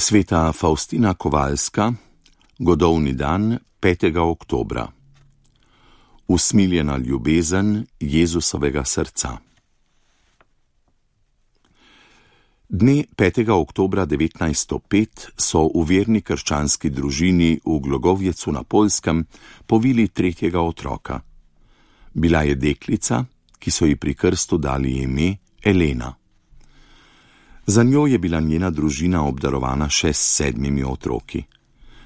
Sveta Faustina Kowalska, godovni dan 5. oktobra. Usmiljena ljubezen Jezusovega srca. Dne 5. oktobra 1905 so v verni krščanski družini v Glogovjecu na Poljskem povili tretjega otroka. Bila je deklica, ki so ji pri krstu dali ime Elena. Za njo je bila njena družina obdarovana še s 7 otroki.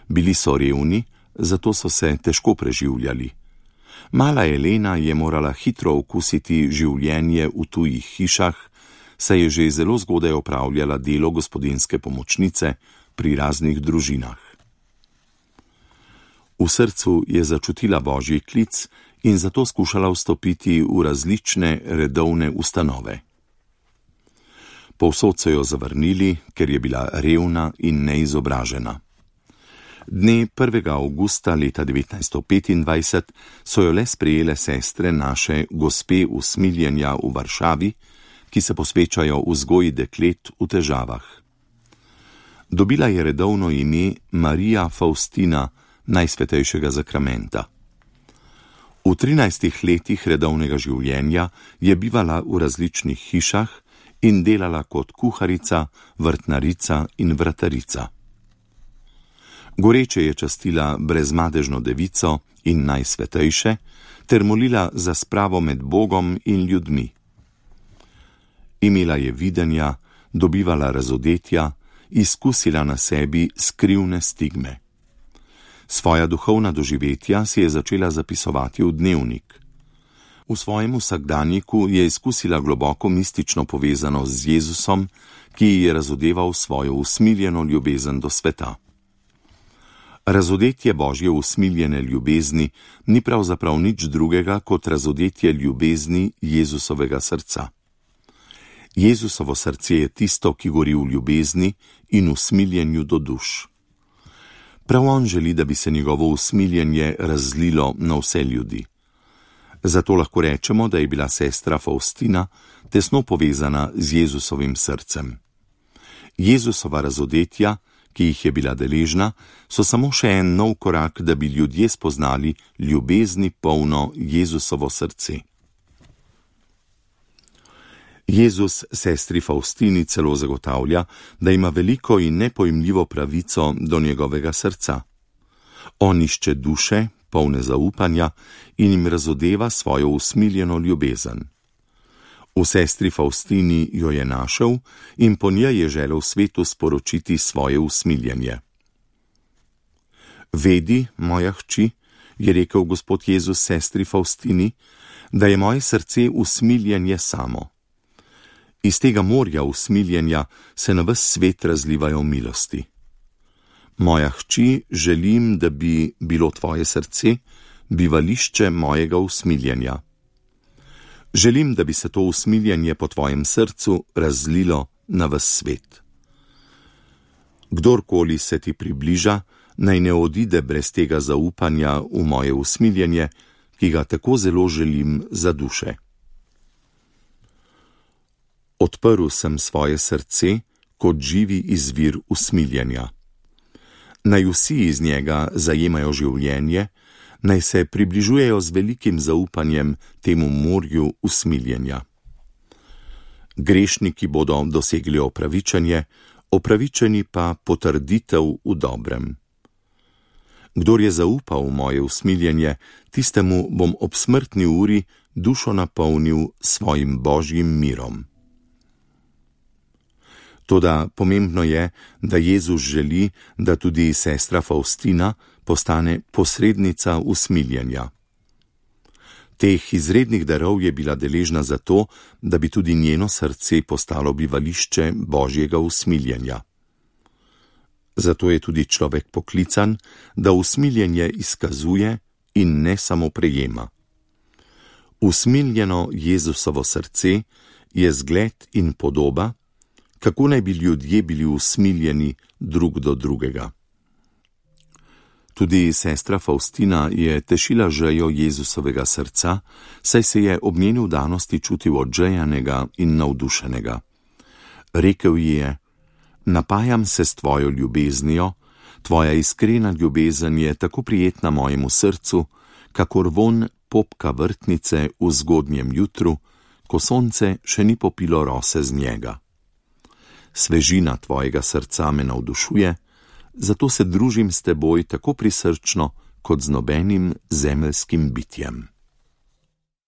Bili so revni, zato so se težko preživljali. Mala Elena je morala hitro okusiti življenje v tujih hišah, saj je že zelo zgodaj opravljala delo gospodinjske pomočnice pri raznih družinah. V srcu je začutila božji klic in zato skušala vstopiti v različne redovne ustanove. Povsod so jo zavrnili, ker je bila revna in neizobražena. Dne 1. avgusta leta 1925 so jo le sprejele sestre naše Gospe usmiljenja v Varšavi, ki se posvečajo vzgoji deklet v težavah. Dobila je redovno ime Marija Faustina Najsvetejšega zakramenta. V 13 letih redovnega življenja je bivala v različnih hišah in delala kot kuharica, vrtnarica in vratarica. Goreče je častila brezmadežno devico in najsvetejše ter molila za spravo med Bogom in ljudmi. Imela je videnja, dobivala razodetja, izkusila na sebi skrivne stigme. Svoja duhovna doživetja si je začela zapisovati v dnevnik. V svojem vsakdanjiku je izkusila globoko mistično povezanost z Jezusom, ki ji je razodeval svojo usmiljeno ljubezen do sveta. Razodetje Božje usmiljene ljubezni ni pravzaprav nič drugega kot razodetje ljubezni Jezusovega srca. Jezusovo srce je tisto, ki gori v ljubezni in usmiljenju do duš. Prav on želi, da bi se njegovo usmiljenje razlilo na vse ljudi. Zato lahko rečemo, da je bila sestra Faustina tesno povezana z Jezusovim srcem. Jezusova razodetja, ki jih je bila deležna, so samo še en nov korak, da bi ljudje spoznali ljubezni polno Jezusovo srce. Jezus sestri Faustini celo zagotavlja, da ima veliko in nepojmljivo pravico do njegovega srca. On išče duše, polne zaupanja, in jim razodeva svojo usmiljeno ljubezen. V sestri Faustini jo je našel in po njej je želel svetu sporočiti svoje usmiljenje. Vedi, moja hči, je rekel Gospod Jezus sestri Faustini, da je moje srce usmiljenje samo. Iz tega morja usmiljenja se na ves svet razlivajo milosti. Moja hči, želim, da bi bilo tvoje srce bivališče mojega usmiljenja. Želim, da bi se to usmiljenje po tvojem srcu razlilo na ves svet. Kdorkoli se ti približa, naj ne odide brez tega zaupanja v moje usmiljenje, ki ga tako zelo želim za duše. Odprl sem svoje srce kot živi izvir usmiljenja. Naj vsi iz njega zajemajo življenje, naj se približujejo z velikim zaupanjem temu morju usmiljenja. Grešniki bodo dosegli opravičenje, opravičeni pa potrditev v dobrem. Kdor je zaupal v moje usmiljenje, tistemu bom ob smrtni uri dušo napolnil svojim božjim mirom. Toda pomembno je, da Jezus želi, da tudi sestra Faustina postane posrednica usmiljenja. Teh izrednih darov je bila deležna zato, da bi tudi njeno srce postalo bivališče Božjega usmiljenja. Zato je tudi človek poklican, da usmiljenje izkazuje in ne samo prejema. Usmiljeno Jezusovo srce je zgled in podoba, kako naj bi ljudje bili usmiljeni drug do drugega. Tudi sestra Faustina je tešila žejo Jezusovega srca, saj se je ob njeni vdanosti čutil odžejanega in navdušenega. Rekel ji je: Napajam se s tvojo ljubeznijo, tvoja iskrena ljubezen je tako prijetna mojemu srcu, kakor vonj popka vrtnice v zgodnjem jutru, ko sonce še ni popilo rose z njega. Svežina tvojega srca me navdušuje, zato se družim s teboj tako prisrčno kot z nobenim zemeljskim bitjem.